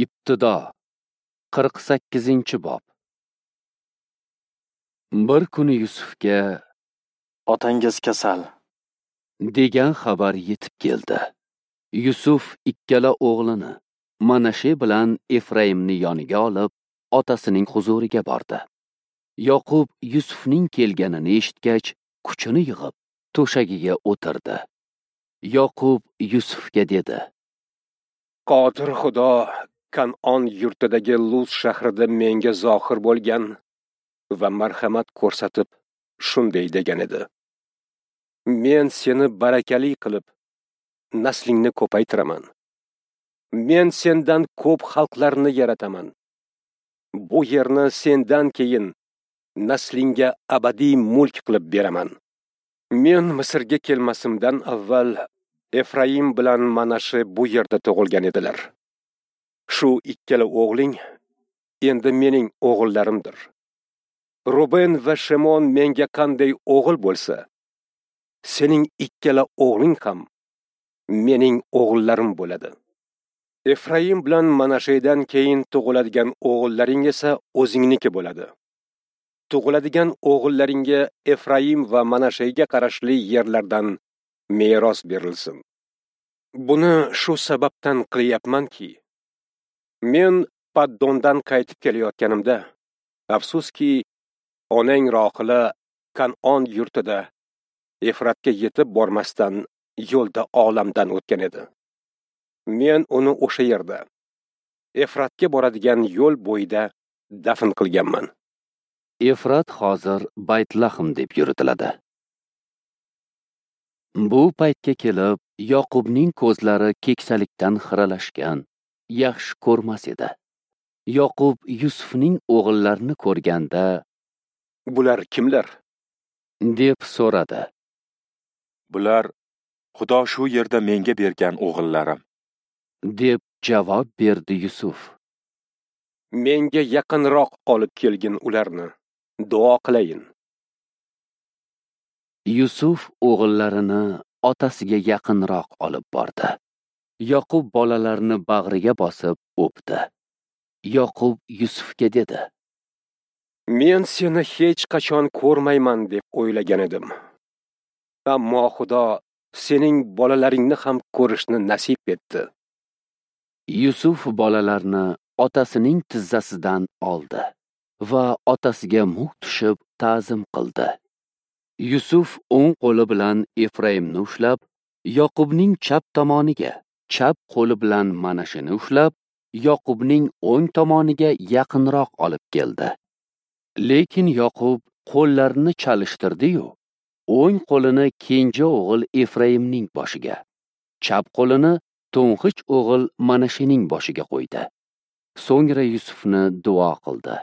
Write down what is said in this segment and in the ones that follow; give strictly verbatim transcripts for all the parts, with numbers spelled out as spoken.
Ibtido qirq sakkizinchi bob. Bir kuni Yusufga "Otangiz kasal" degan xabar yetib keldi. Yusuf ikkala o'g'lini Manashe bilan Efraimni yoniga olib, otasining huzuriga bordi. Yoqub Yusufning kelganini eshitgach, kuchini yig'ib, to'shagiga o'tirdi. Yoqub Yusufga dedi: "Qodir Xudo Kan'on yurtidagi Luz shahrida menga zohir bo'lgan va marhamat ko'rsatib shunday degan edi: Men seni barakali qilib, naslingni ko'paytiraman. Men sendan ko'p xalqlarni yarataman. Bu yerni sendan keyin naslingga abadiy mulk qilib beraman. Men Misrga kelmasimdan avval Efraim bilan Manashe bu yerda tug'ilgan edilar. Shu ikkala o'g'ling endi mening o'g'illarimdir. Ruben va Shimon menga qanday o'g'il bo'lsa, sening ikkala o'g'ling ham mening o'g'illarim bo'ladi. Efraim bilan Manashedan keyin tug'iladigan o'g'illaring esa o'zingniki bo'ladi. Tug'iladigan o'g'illaringga Efraim va Manashega qarashli yerlardan meros berilsin. Buni shu sababdan qilyapmanki, men Paddondan qaytib kelayotganimda, afsuski, onang Rohila Kan'on yurtida Efratga yetib bormasdan yo'lda olamdan o'tgan edi. Men uni o'sha yerda, Efratga boradigan yo'l bo'yida dafn qilganman." Efrat hozir Baytlahm deb yuritiladi. Bu paytga kelib, Yoqubning ko'zlari keksalikdan xiralashgan, yaxshi ko'rmas edi. Yoqub Yusufning o'g'illarini ko'rganda, "Bular kimlar?" deb so'radi. "Bular Xudo shu yerda menga bergan o'g'illarim", deb javob berdi Yusuf. "Menga yaqinroq olib kelgin ularni, duo qilayin." Yusuf o'g'illarini otasiga yaqinroq olib bordi. Yoqub bolalarini bag'riga bosib o'pdi. Yoqub Yusufga dedi: "Men seni hech qachon ko'rmayman deb o'ylagan edim. Ammo Xudo sening bolalaringni ham ko'rishni nasib etdi." Yusuf bolalarni otasining tizzasidan oldi va otasiga muk tushib ta'zim qildi. Yusuf o'ng qo'li bilan Efraimni ushlab, Yoqubning chap tomoniga, chap qo'li bilan Manasheni ushlab, Yoqubning o'ng tomoniga yaqinroq olib keldi. Lekin Yoqub qo'llarini chalishtirdi-yu, o'ng qo'lini kenja o'g'il Efraimning boshiga, chap qo'lini to'ng'ich o'g'il Manashening boshiga qo'ydi. So'ngra Yusufni duo qildi.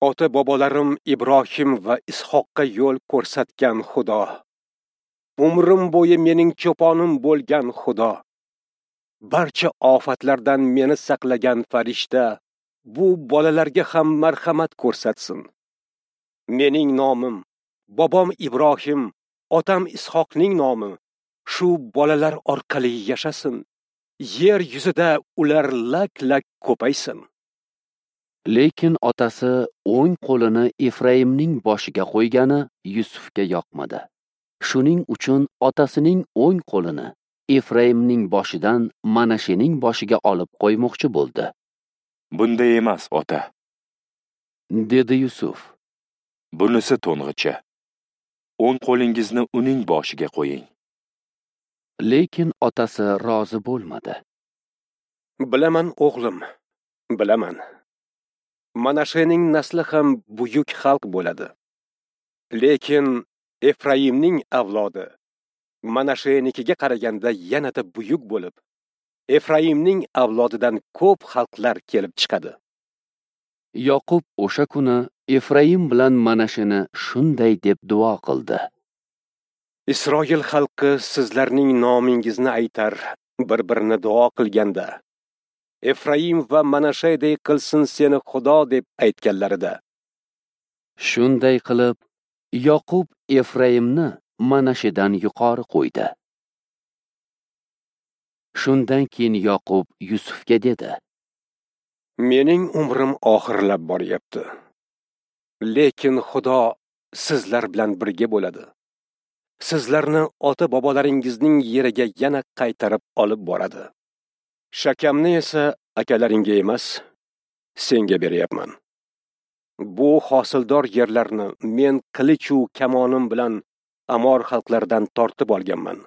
"Ota-bobolarim Ibrohim va Ishoqqa yo'l ko'rsatgan Xudo, umrim bo'yi mening cho'ponim bo'lgan Xudo, barcha ofatlardan meni saqlagan farishta bu bolalarga ham marhamat ko'rsatsin. Mening nomim, bobom Ibrohim, otam Ishoqning nomi shu bolalar orqali yashasin. Yer yuzida ular lak-lak ko'paysin." Lekin otasi o'ng qo'lini Efraimning boshiga qo'ygani Yusufga yoqmadi. Shuning uchun otasining o'ng qo'lini Efraimning boshidan Manashening boshiga olib qo'ymoqchi bo'ldi. "Bunday emas, ota", dedi Yusuf. "Bunisi to'ng'ichi. O'ng qo'lingizni uning boshiga qo'ying." Lekin otasi rozi bo'lmadi. "Bilaman, o'g'lim, bilaman. Manashening nasli ham buyuk xalq bo'ladi. Lekin Efraimning avlodi Manashenikiga qaraganda yanada buyuk bo'lib, Efraimning avlodidan ko'p xalqlar kelib chiqadi." Yoqub o'sha kuni Efraim bilan Manasheni shunday deb duo qildi: "Isroil xalqi sizlarning nomingizni aytar, bir-birini duo qilganda, Efraim va Manasheday qilsin seni Xudo deb aytganlarida." Shunday qilib, Yoqub Efraimni Manashedan yuqori qo'ydi. Shundan keyin Yoqub Yusufga dedi: Mening umrim oxirlab boryapti. Lekin Xudo sizlar bilan birga bo'ladi. Sizlarni ota-bobolaringizning yeriga yana qaytarib olib boradi. Shakamni esa akalaringga emas, senga beryapman. Bu hosildor yerlarni men qilichu kamonim bilan Amor xalqlaridan tortib olganman.